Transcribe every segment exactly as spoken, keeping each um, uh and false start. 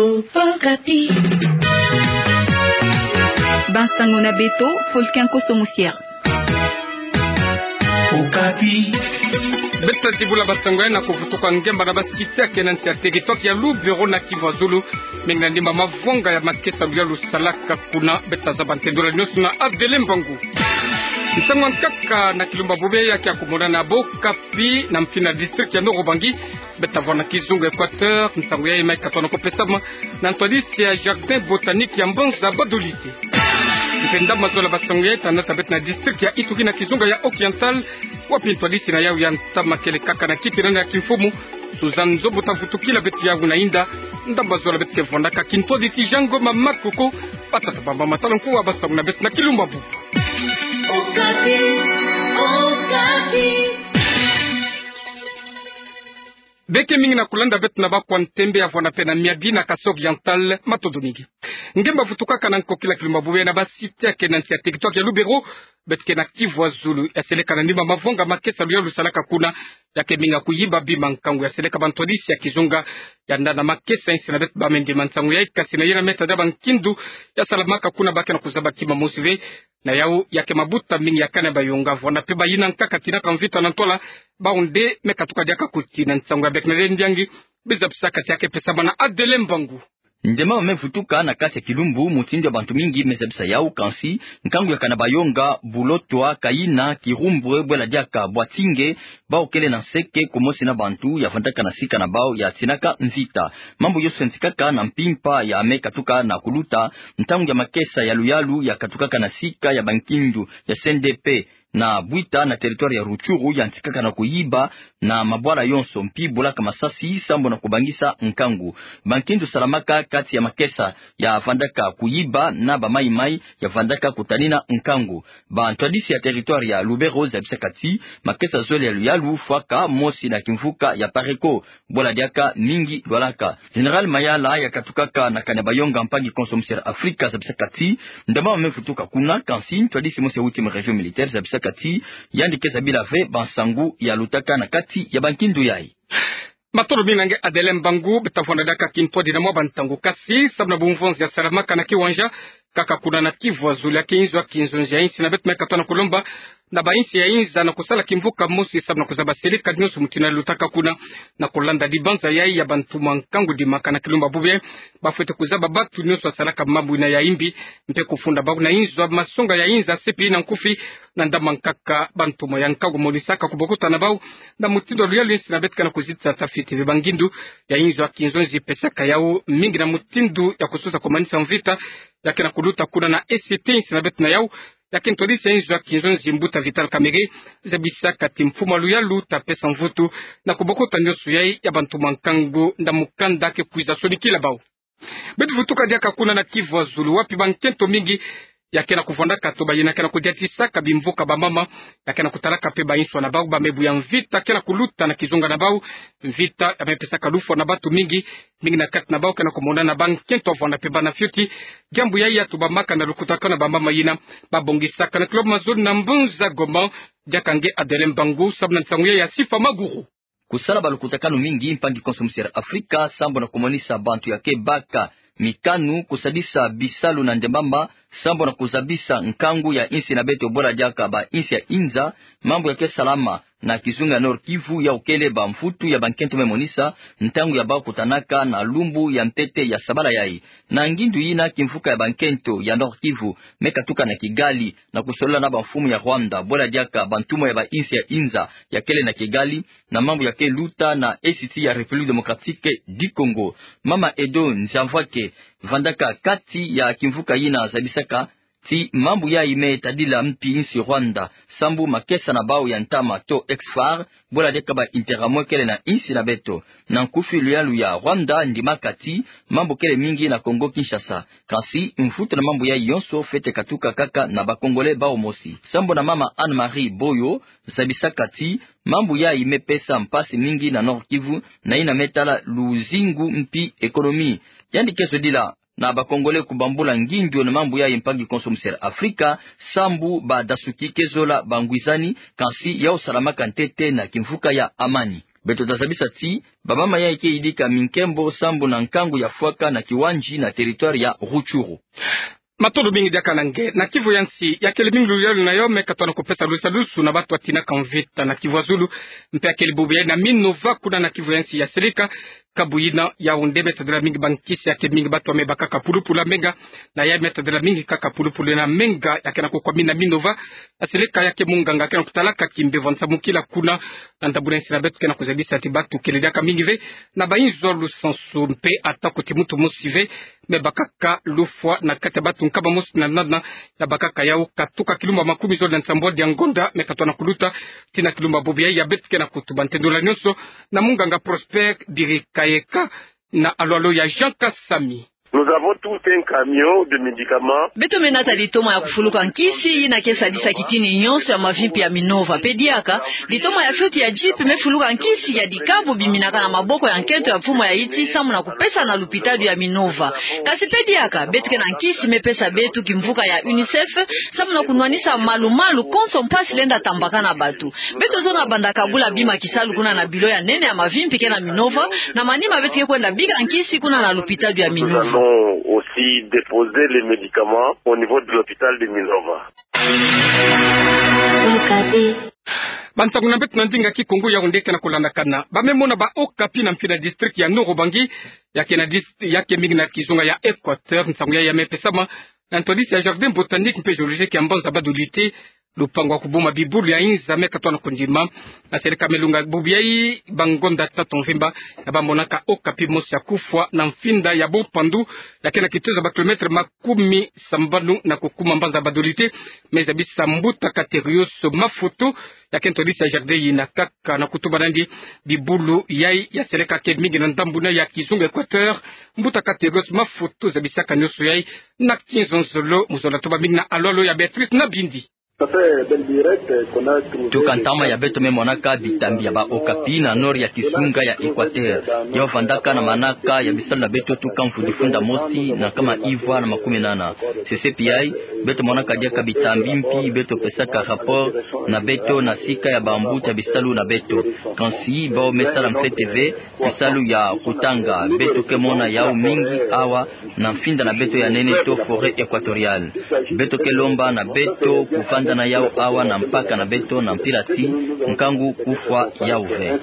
Okapi. Bansango na beto, Fulcan Koso Musier. Okapi. Beta dibula bansango ya na kuvutuka ngemba na basite ya kena nsi ya teritware ya Lubero na Kivu ya Zulu. Mingi na ndimba mavonga ya makesa luyalu salaka kuna. Beta zaba nte ndola nyonso na Adele Mbangu. Nsangu ya nkaka na kilumbu bubu ya ke ya kumonana bô Okapi na mfini ya district ya Nord-Ubangi. Beta vwanda na kizunga Equateur, nsangu yayi mai katona kupesama na ntwadisi ya Jardin Botanique ya mbanza Badolite. Mpe ndambu mazola bansangu yayi ta nata beto na district ya Ituri na kizunga ya Oriental, wapi ntwadisi na yawu ya ntama kele kaka na kipe nani ya kimfumu, Suzanne Nzombo ta vutukila beto yawu na inda. Ndambu mazola beto ke vwandaka kintwadisi Jean Ngoma Makoko, batata bamama, tala nkuwa bansangu na beto na kilumbu bubu. Okapi, Okapi. Beke mingi na kulanda beto na bakwa ntembe ya vwanda mpe na miabi na Kasaï Oriental, matondo mingi. Ngemba vutukaka na nkokila kilumbu bubu ya na basite ya kena nsi ya teritware ya Lubero, beto ke na Kivu ya Zulu, ya seleka na ndimba mavonga makesa luyalu salaka kuna. Ya ke mingi ya kuyiba bima nkangu, ya seleka bantwadisi ya kizunga ya nda na makesa ya insi na beto ba me ndima nsangu yayi, kasi na yena meta dia bankindu ya salamaka kuna ba ke na kuzaba kima mosi ve. Na yawu ya ke mabuta mingi ya kani ya bayonga, vwanda mpe bayina nkaka tinaka mvita na ntwala, bawu nde me katuka diaka kuti na nsangu ya beke na le ndiangi. Bizabisaka ti ya ke pesama na Adele Mbangu. Ndemama me vutuka na kati ya kilumbu, mutindu ya bantu mingi me zabisa yawu, kansi nkangu ya kani ya bayonga, bulotwa, kayina, kirumbwe, bwela diaka bwatinge, bawu kele na nseke kumosi na bantu ya vwandaka na sika na bawu ya tinaka mvita. Mambu yonso yantikaka na mpimpa ya me katuka na kuluta, ntangu ya makesa ya luyalu ya katukaka na sika ya bankindu ya C N D P na Bwita na territoire ya Rutshuru yantikaka na kuyiba na mabwala yonso, mpi bulaka masasi sambu na kubangisa nkangu. Bankindu salamaka kati ya makesa ya vandaka kuyiba na bamayi-mayi ya vandaka kutanina nkangu. Bantwadisi ya territoire ya Lubero zabisaka ti makesa zole ya luyalu fwaka mosi na kimvuka ya Pareko, bwela diaka mingi lwalaka. Général Mayala ya katukaka na kani ya bayonga mpangi konso Musier Afrika zabisaka ti ndemama me vutuka kuna, kansi ntwadisi mosi ya huitième région militaire zabisaka ti yandi ke zabila ve bansangu ya lutaka na kati ya bankindu yayi. Matondo mingi na nge Adelin Mbangu. Beta vwanda diaka kintwadi na mwa bantangu, kasi sambu na bumvonzi ya salamaka na kiwanja kaka kuna na Kivu ya Zulu, ya ke inzo ya kinzonzi ya insi na beto me katoa na kulomba na bainsi ya inza na kusala kimvuka mosi sambu na kuzaba seleka nyonso mutindu ya lutaka kuna. Na kulanda dibanza yayi ya bantumwa nkangu dimaka na kilumbu bubu, bafwete kuzaba bantu nyonso ya salaka mambu yina ya imbi, mpe kufunda bawu na inzo ya masonga ya inza, sepi na nkufi, na ndambu nkaka bantumwa ya nkangu monisaka kubokota na bawu na mutindu ya luyalu insi na beto ke na kuzitisa tafiti ve bangindu ya inzo ya kinzonzi pesaka yawu mingi na mutindu ya kusosa kumanisa mvita ya ke na kuluta kuna na E C T insi na beto. Na yawu ya ke ntwadisi ya inzo ya kinzonzi mbuta Vital Kamerhe zabisaka ti mfumu ya luyalu ta pesa mvutu na kubokota nyonso yayi ya bantumwa nkangu na mukanda ke kwiza sonikila bawu. Beto vutuka diaka kuna na Kivu ya Zulu, wapi bankento mingi ya ke na kuvwandaka to bayina ke na kudiatisaka bimvuka bamama, ya ke na kutalaka mpe bainso na bawu ba me buya mvita ke na kuluta na kizunga na bawu. Mvita ya me pesaka lufwa na bantu mingi, mingi na kati na bawu ke na kumona na bankento ya vwanda mpe bana fioti. Diambu yayi ya tubamaka na lukutakanu ya bamama yina babongisaka na kilomètre mazono na mbanza Goma. Diaka nge Adelin Mbangu sambu na nsangu yayi ya Sifa Maguru. Kusala balukutakanu mingi mpangi konso Musier Afrika sambu na kumonisa bantu ya ke baka mikanu kusadisa bisalu na ndembamba sambu na kuzabisa nkangu ya insi na beto bwela diaka bainsi ya inza. Mambu ya ke salama na kizunga ya Nord-Kivu yawu kele bamvutu ya bankento me monisa ntangu ya bawu kutanaka na lumbu ya ntete ya sabala yayi. Na ngindu yina kimvuka ya bankento ya Nord-Kivu me katuka na Kigali na kusolola na bamfumu ya Rwanda bwela diaka bantumwa ya bainsi ya inza ya kele na Kigali na mambu ya ke luta na Est ya République Démocratique du Congo. Mama Edo Nziamvwake vandaka kati ya kimvuka yina zabisaka ti mambu yayi me tadila mpi insi Rwanda sambu makesa na bawu ya ntama to ex-FAR bwela diaka ba Interahamwe kele na insi na beto. Na nkufi, luyalu ya Rwanda ndimaka ti mambu kele mingi na Congo Kinshasa, kansi mvutu na mambu yayi yonso fwete katuka kaka na ba Congolais bawu mosi. Sambu na mama Anne-Marie Boyo zabisaka ti mambu yayi me pesa mpasi mingi na Nord-Kivu na yina me tala luzingu mpi économie. Yandi ke zodila na ba Congolais kubambula ngindu na mambu yayi mpangi konso Musier Afrika sambu badasuki ke zola bangwizani, kansi yawu salamaka ntete na kimvuka ya amani. Beto ta zabisa ti ba mama yayi ke yidika minkembo sambu na nkangu ya fwaka na kiwandzi na territoire ya Rutshuru. Matondo mingi diaka na nge. Na kivu ya nsi, yakele mingi luyalu na yo me katwa na kupesa lusadusu na batu atinaka mvita na Kivu ya Zulu, mpe yakele bubu yayi na Minova kuna na kivu ya nsi ya seleka. Kabu yina Yaoundé me tadila mingi bankisi, yakele mingi batu ya me bakaka pulupulu ya menga, na yayi me tadila mingi kaka pulupulu na menga, ya ke na kukwamina Minova. Ya seleka ya ke munganga ke na kutalaka kimbevo nsamukila kuna na ndambu na nsi na beto ke na kuzabisa ti batu kele diaka mingi ve na bayinzo lusansu mpe ata kuti muntu mosi ve me bakaka lufwa na kati ya batu nkama mosi na nana ya bakaka yau katuka kilumba makumi zole na nsambwadi ya ngonda me katwa na kuluta tii na kilumba bubu yayi. Ya beto ke na kutuba ntendula nyonso na munganga Prosper Birikayeka na alwalo ya Jean Kasami. Nous avons tout un camion de médicaments. Beto me nata litoma ya kufuluka nkisi yina ke sadisa kitini nyonso ya mavimpi ya Minova. Mpe diaka, litoma ya fioti ya jeep me fuluka nkisi ya dikabu biminaka na maboko ya nkento ya mfumu ya Haïti samu na kupesa na lupitalu ya Minova. Kasi mpe diaka, beto ke na nkisi me pesa beto kimvuka ya UNICEF samu na kunwanisa malu-malu konso mpasi lenda tambakana batu. Beto zola banda kabula bima kisalu kuna na bilo ya nene ya mavimpi ke na Minova, na manima beto ke kwenda bika nkisi kuna na lupitalu ya Minova. Nous allons aussi déposer les médicaments au niveau de l'hôpital de Minova. Bansangu na beto na ndinga Kikongo, Yaoundé ke na kulandakana. Ba me mona ba Okapi na mfini ya district ya Nord-Ubangi, ya ke na dis-, ya ke mingi na kizunga ya Équateur, nsangu yayi ya me pesama na ntwadisi ya jardin botanique mpe zoologique ya mbanza Badolite. Lupangu ya kubuma bibulu ya inza me katwa na kundima. Na seleka me lunga bubu yayi bangonda tatu mvimba, ya ba monaka Okapi mosi ya kufwa na mfinda ya Bompandu, ya ke na kituza ba kilomètre makumi sambanu na kukuma mbanza Badolite. Me zabisa mbuta Katerios Mafutu, ya ke ntwadisi ya jardin yina, kaka na kutuba nandi bibulu yayi ya seleka ke mingi na ndambu na ya kizunga Équateur. Mbuta Katerios Mafutu zabisaka nyonso yayi na kinzonzolo, mu zola tuba mingi na alwalo ya Béatrice Nabindi. Tuka ntama ya beto me monaka bitambi ya ba Okapi na nord ya kizunga ya Équateur. Yau vandaka na manaka ya bisalu na beto tuka mvu difunda mosi na nkama ivwa na makumi nana. Sesepi yayi, beto monaka diaka bitambi mpi beto pesaka rapport na beto na sika ya bambuta ya bisalu na beto. Kansi bau me sala mfete ve kisalu ya kutanga. Beto ke mona yau mingi awa na mfinda na beto ya nene to forêt équatoriale. Beto ke lomba na beto kuvanda na yau awa na mpaka na beto na mpila ti nkangu kufwa yau ve.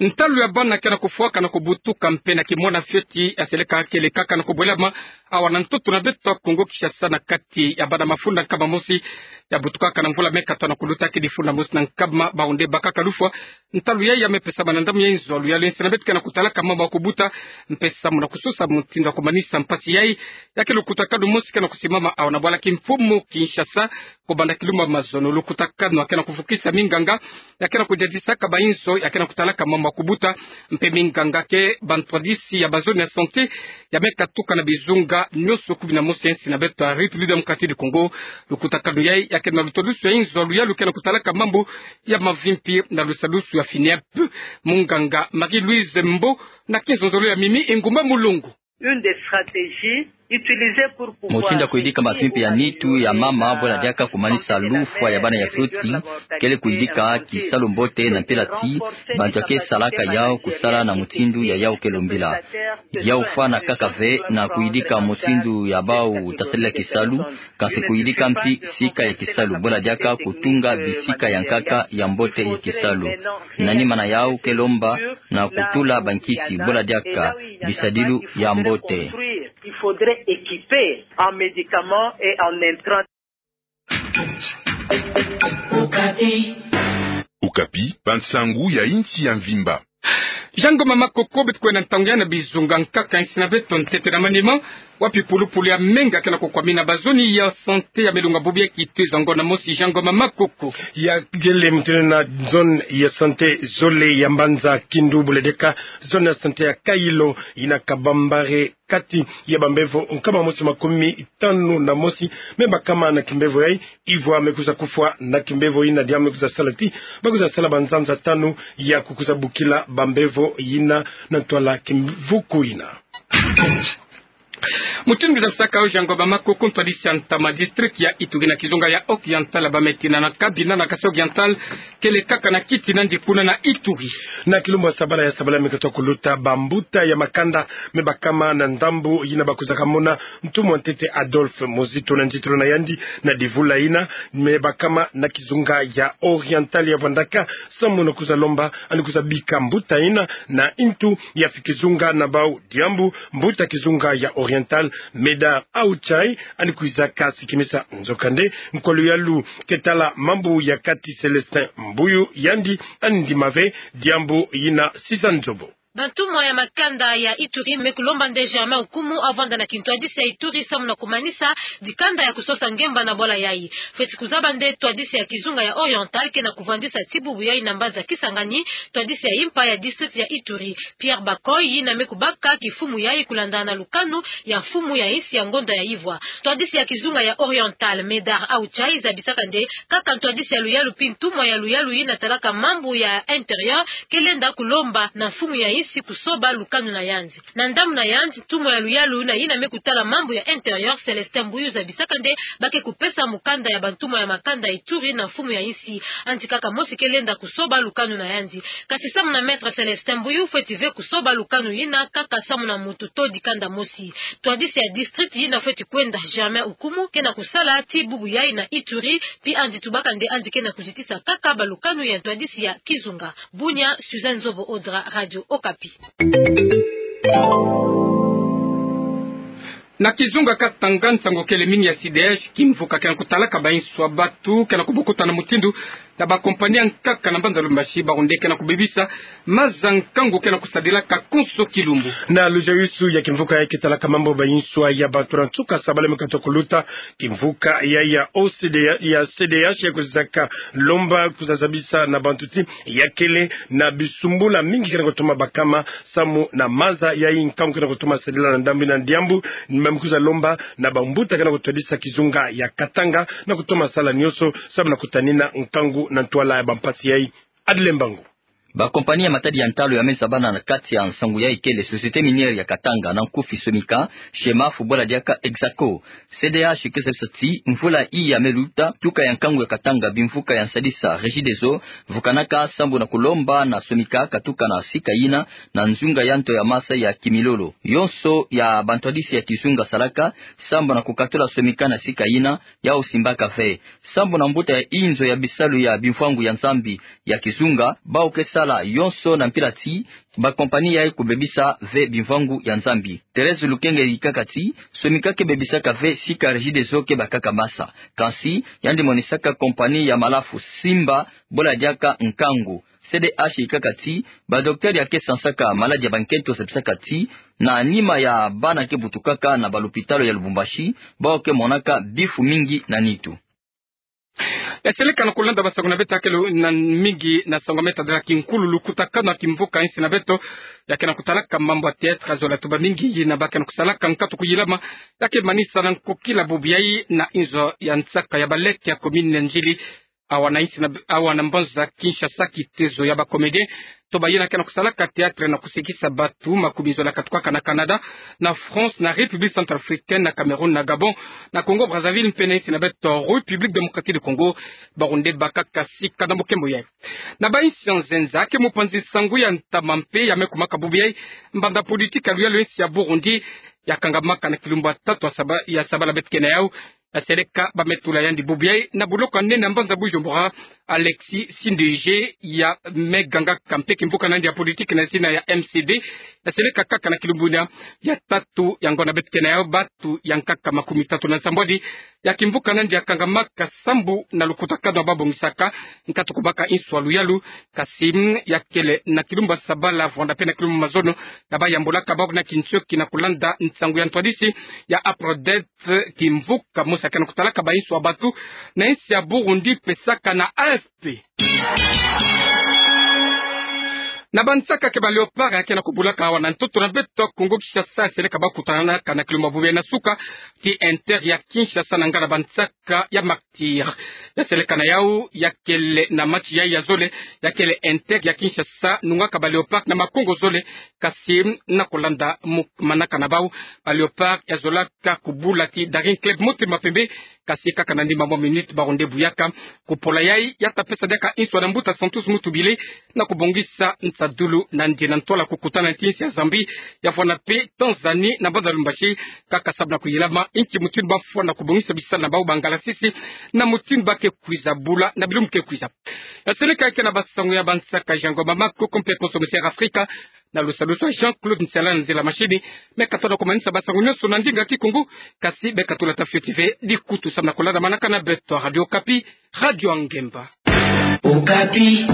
Ntalu ya bana ke na kufwaka na kubutuka mpe na kimona fioti ya seleka kele kaka na kubwelama awa na ntoto na beto Kongo Kinshasa na kati ya bana mafunda nkama mosi ya butukaka na mvula me katwa na kuluta ke difunda mosi na nkama bawu nde bakaka lufwa. Ntalu yayi ya me pesama na ndambu ya inzo ya luyalu ya nsi na beto ke na kutalaka mambu ya kubuta mpe samu na kusosa mutindu ya kumanisa mpasi yayi. Ya ke lukutakanu mosi ke na kusimama awa na bwala kimfumu Kinshasa, kubanda kilumba mazono. Lukutakanu ya ke na kuvukisa minganga ya ke na kudadisaka bayinzo ya ke na kutalaka mambu ya kubuta mpe minganga ke bantwadisi ya bazone ya santé ya me katuka na bizunga nyonso kumi na mosi ya nsi na beto ya République Démocratique du Congo. Lukutakanu yayi ya ke na lutwadusu ya inzo ya luyalu ke na kutalaka mambu ya mavimpi na lusadusu ya FINEP. Munganga Marie-Louise Mbo na kinzonzolo ya Mimi Ingumba Mulungu. Une des stratégies utilisées pour pouvoir... Mutindu ya kuyidika mavimpi ya nitu ya mama, bwela diaka kumanisa lufwa ya bana ya fioti, kele kuyidika kisalu mbote na mpila ti bantu ya ke salaka yau kusala na mutindu ya yau ke lombila. Yau fwana kaka ve na kuyidika mutindu ya bau ta sadila kisalu, kansi kuyidika mpi sika ya kisalu, bwela diaka kutunga bisika ya nkaka ya mbote ya kisalu. Na nima na yau ke lomba na kutula bankisi, bwela diaka bisadilu ya mbote. Il faudrait équiper en médicaments et en intrants. Okapi, bansangu ya insi ya mvimba. Jean Ngoma Makoko, beto kwenda ntangu yayi na bizunga nkaka ya nsi na beto ntete na manima, wapi pulupulu ya menga ke na kukwamina bazone ya santé ya me lunga bubu yayi kituza ngonda mosi. Jean Ngoma Makoko. Ya gele mutindu na zone ya santé zole ya mbanza Kindu, bwela diaka zone ya santé ya Kailo, yina kabambare kati ya bambevo nkama mosi makumi tanu na mosi me bakama na kimbevo yayi, ivwa me kwiza kufwa na kimbevo yina. Diambu me kwiza sala ti ba kwiza sala banzanza tanu ya kukwiza bukila bambevo yina na ntwala kimvuku yina. Mutindu kizabisaka oziango ba makuku, ntwadisi ya ntama district ya Ituri na kizunga ya Oriental, bameti na na kabina na Kasaï Oriental, kele kaka na kiti nandi kuna na Ituri. Na kilumbu ya sabala ya sabala mi katoa kuluta, bambuta ya makanda me bakama na ndambu yina bakwizaka mona ntumwa ntete Adolphe Muzito na nzitulu na yandi na divula yina, me bakama na kizunga ya Oriental ya Vwandaka, samu na kwiza lomba, ani kwiza bika mbuta yina na ntu ya fi kizunga na bau, diambu mbuta kizunga ya Oriental, Médard Aouchaï, ani kwizaka sikimisa. Nzokande, nkwa luyalu ke tala mambu ya kati, Célestin Mbuyu, yandi ani ndima ve diambu yina. Siza Nzobo. Bantumwa ya makanda ya Ituri me kulomba nde Germain Okumu avwanda na kintwadisi ya Ituri samu na kumanisa dikanda ya kusosa ngemba na bwala yayi. Fweti kuzaba nde ntwadisi ya kizunga ya Oriental ke na kuvwandisa ti bubu yayi na mbanza Kisangani, ntwadisi ya impa ya district ya Ituri, Pierre Bakoy, yina me kubaka kimfumu yayi kulandana lukanu ya mfumu ya insi ya ngonda ya ivwa. Ntwadisi ya kizunga ya Oriental, Médard Aouchaï, zabisaka nde kaka ntwadisi ya luyalu mpi ntumwa ya luyalu yina talaka mambu ya intérieur ke lenda kulomba na mfumu ya insi kusoba lukanu na yandi. Na ndambu na yandi, ntumwa ya luyalu na yina me kutala mambu ya intérieur, Célestin Mbuyu, zabisaka nde ba ke kupesa mukanda ya bantumwa ya makanda ya Ituri na mfumu ya insi. Yandi kaka mosi ke lenda kusoba lukanu na yandi. Kasi samu na Maître Célestin Mbuyu, fweti ve kusoba lukanu yina kaka samu na muntu to dikanda mosi. Ntwadisi ya district yina fweti kwenda, Germain Okumu, ke na kusala ti bubu yayi na Ituri, mpi yandi tubaka nde yandi ke na kuzitisa kaka balukanu ya ntwadisi ya kizunga. Bunia, Suzanne Nzobo Odra, Radio Okapi. Na kizunga Katanga, nsangu kele mingi ya C D H, kimvuka ke na kutalaka bainso ya batu ke na kubokuta na mutindu na bakompani ya nkaka na mbanza Lubumbashi, bawu nde ke na kubebisa maza nkangu ke na kusadilaka konso kilumbu. Na luzayusu ya kimvuka yayi ke talaka mambu, bainso ya batu na nsuka sabala mi katoa kuluta, kimvuka ya, ya O C D, ya C D H ya kwizaka lomba kwiza zabisa na bantu ti ya kele na bisumbula mingi ke na kutoma bakama samu na maza yayi, nkangu ke na kutoma sadila na ndambu yina, diambu ni mama kwiza lomba na bambuta ke na kutwadisa kizunga ya Katanga na kutoma sala nionso samu na kutanina nkangu na ntwala ya bampasi yayi. Adele Mbangu. Bakompani ya matadi ya ntalu ya me zabana na kati ya nsangu yayi kele Société Minière ya Katanga, na nkufi SOMICA, SHEMAF, bwala diaka Exaco. C D H ke zabisa ti mvula yayi ya me luta, tuka ya nkangu ya Katanga, bimvuka ya nsadisa, Regideso, vukanaka sambu na kulomba na SOMICA katuka na sika yina, na nzunga ya nto ya masa ya Kimilolo. Yonso ya bantwadisi ya kizunga salaka sambu na kukatula SOMICA na sika yina, yawu simbaka ve. Sambu na mbuta ya inzo ya bisalu ya bimvwangu ya Nzambi ya kizunga, bawu ke sala yonso na mpila ti bakompani yayi kubebisa ve bimvwangu ya Nzambi. Thérèse Lukenge yikaka ti, SOMICA ke bebisaka ve sika Regideso ke bakaka masa. Kansi, yandi monisaka kompani ya malafu simba, bwala diaka nkangu. C D H yikaka ti, badocteur ya ke sansaka maladi ya bankento zabisaka ti, na nima ya bana ke butukaka na balopitalo ya Lubumbashi, bawu ke monaka bifu mingi na nitu. Ya seleka na kulanda basangu na beto, ya kele na mingi na sangu ya me tadila kinkulu lukutakanu ya kimvuka insi na beto, ya ke na kutalaka mambu ya théâtre, zola tuba mingi yina ba ke na kusalaka nkatu kuyilama, ya ke manisa na nkokila bubu yayi na inzo ya nsaka ya baleke ya commune ya Ndjili, awa na insi na, awa na mbanza Kinshasa, kitezo ya bacomédien to bayina ke na kusalaka théâtre na kusekisa batu, makumizo na katukaka na Canada, na France, na République centrafricaine, na Cameroun, na Gabon, na Congo Brazzaville, mpe na insi na beto République démocratique du Congo, bawu nde bakaka sika na mukembo yayi. Na bainsi ya nzenza, ke mupanzi-nsangu ya ntama mpe ya me kumaka bubu yayi, mbanda politique ya luyalu ya insi ya Burundi ya kangamaka na kilumbu ya tatu ya saba-, ya sabala beto ke na yawu, ya seleka ba me tula yandi bubu yayi na buloko ya nene ya mbanza Bujumbura, Alexis Sinduhije, ya me gangaka mpe kimvuka na yandi ya politique na zina ya M C D, ya seleka kaka na kilumbu yina ya tatu ya ngonda beto ke na yawu, batu ya nkaka makumi tatu na nsambwadi ya kimvuka na yandi ya kangamaka sambu na lukutakanu ya babongisaka nkatu kubaka inso ya luyalu, kasi, mm, ya kele na kilumbu ya sabala vwanda mpe na kilumbu ya mazono ya bayambulaka bawu na kintioki na kulanda nsangu ya ntwadisi ya Aprodep, kimvuka mosi ya ke na kutalaka bainso ya batu na insi ya Burundi, pesaka na A F P. Na bansaka ke ba Léopards ya ke na kubulaka awa na ntoto na beto Kongo Kinshasa, seleka ba kutanaka na kilomètre mabobe na suka ti Inter ya Kinshasa na ngana bansaka ya Martyrs. Ya seleka na yau ya kele na match ya ya zole, ya kele Inter ya Kinshasa nungaka ba Léopards na makongo zole, kasi na kulanda mu-, manaka na bau, ba Léopards ya zolaka kubula ti Daring Club Motema Pembe, kasi kaka na nima mwa minute barunde buyaka. Kupola yai, ya ta pesa diaka nswa na mbuta Santos Mutubile, na kubongisa nsadulu na ndiena ntwala kukutana nti nsi ya Zambie, ya fwana pe Tanzanie na mbanza Lubumbashi, kaka sabu na kuyilama nki mutindu ba fwana kubongisa bisalu na bau ba ngalasisi, na mutindu ba ke kwiza bula na bilumbu ke kwiza. Ya seleka ya ke na basango ya bansaka Jean Ngoma Maku, ko mpe konso Monsieur Afrika, na lusalusu ya Jean-Claude Nsela na nzila mashini. Me ka tona kumanisa basango nyonso na ndinga Kikongo, kasi me ka tula ta fioti ve dikutu samu na kulanda manaka na beto Radio Okapi, Radio ya Ngemba. Okapi.